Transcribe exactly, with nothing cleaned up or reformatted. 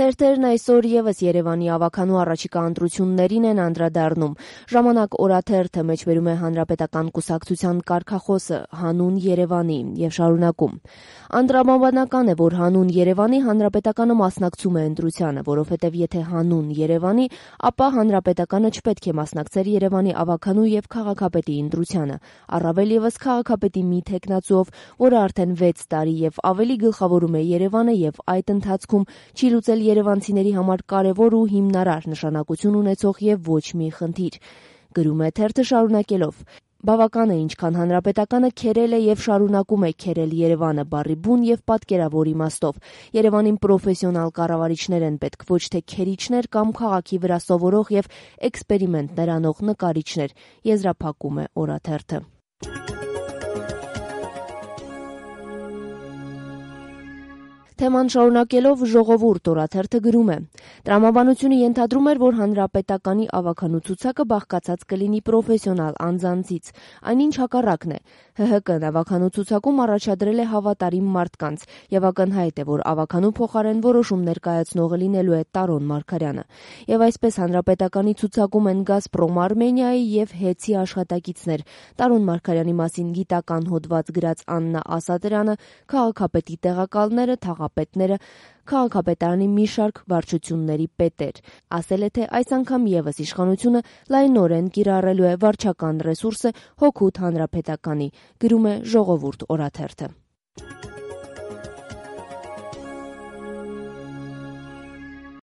Թերթերն այսօր ևս Երևանի ավագանու առաջիկա ընտրություններին են անդրադառնում։ Ժամանակ օրաթերթը մեջբերում է Հանրապետական կուսակցության կարգախոսը «Հանուն Երևանի» եւ շարունակում. Անդրադառնալի է, որ «Հանուն Երևանի» Հանրապետականը մասնակցում է ընտրությանը, որովհետեւ եթե «Հանուն Երևանի», ապա Հանրապետականը չպետք է մասնակցեր Երևանի ավագանու եւ քաղաքապետի ընտրությանը, առավել եւս քաղաքապետի մի թեկնածուով, որը արդեն վեց տարի եւ ավելի գլխավորում է Երևանը եւ այդ ընթացքում չի լուծել երևանցիների համար կարևոր ու հիմնարար նշանակություն ունեցող եւ ոչ մի խնդիր, գրում է թերթը շարունակելով. Բավական է ինչքան Հանրապետականը քերել է եւ շարունակում է քերել Երևանը բառի բուն եւ պատկերավոր իմաստով։ Երևանին պրոֆեսիոնալ կառավարիչներ են պետք, ոչ թե քերիչներ կամ քաղաքի վրա սովորող եւ էքսպերիմենտներ անող նկարիչներ, եզրափակում է օրաթերթը։ Թեման շարունակելով «Ժողովուրդ» օրաթերթը գրում է. Տրամաբանությունը ենթադրում էր, որ Հանրապետականի ավագանու ցուցակը բաղկացած կլինի պրոֆեսիոնալ անձանցից, այնինչ հակառակն է։ ՀՀԿ ավագանու ցուցակում առաջադրել է հավատարիմ մարդկանց եւ ակնհայտ է, որ ավագանու փոխարեն որոշումներ կայացնողը լինելու է Տարոն Մարգարյանը։ Եվ այսպես Հանրապետականի ցուցակում են «Գազպրոմ Արմենիայի» եւ «Հեցի» աշխատակիցներ, Տարոն Մարգարյանի մասին գիտական հոդված գրած Աննա Ասատրյանը, քաղաքապետի տեղակալները, թաղապետները, քաղաքապետարանի մի շարք վարչությունների պետեր։ Ասել է, թե այս անգամ եւս իշխանությունը լայնորեն կիրառելու է վարչական ռեսուրսը հօգուտ Հանրապետականի, գրում է «Ժողովուրդ» օրաթերթը։